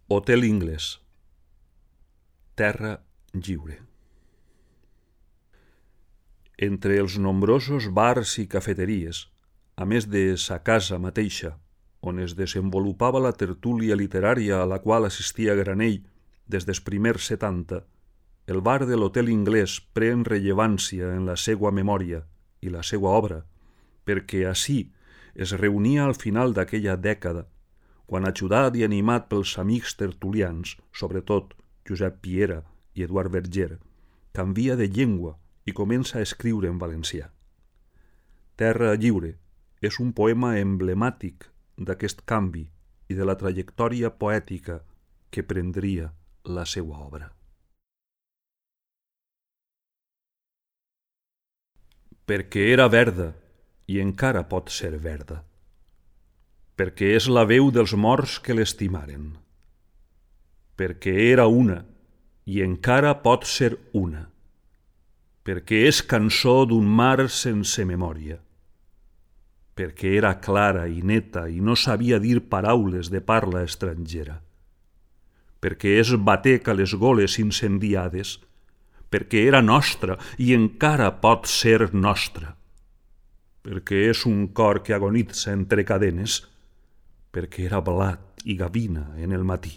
Hotel Inglès. Terra lliure. Entre els nombrosos bars i cafeteries, a més de sa casa mateixa, on es desenvolupava la tertúlia literària a la qual assistia Granell des dels primers 70, el bar de l'Hotel Inglès pren rellevància en la seua memòria i la seua obra, perquè ací es reunia al final d'aquella dècada, quan, ajudat i animat pels amics tertulians, sobretot Josep Piera i Eduard Verger, canvia de llengua i comença a escriure en valencià. Terra lliure és un poema emblemàtic d'aquest canvi i de la trajectòria poètica que prendria la seua obra. Perquè era verda i encara pot ser verda. Perquè és la veu dels morts que l'estimaren. Perquè era una i encara pot ser una. Perquè és cançó d'un mar sense memòria. Perquè era clara i neta i no sabia dir paraules de parla estrangera. Perquè és batec a les goles incendiades. Perquè era nostra i encara pot ser nostra. Perquè és un cor que agonitza entre cadenes. Perquè era blat i gavina en el matí.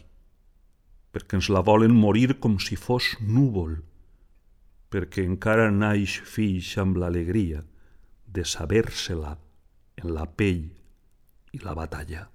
Perquè ens la volen morir com si fos núvol. Perquè encara naix fills amb l'alegria de saber-se-la en la pell i la batalla.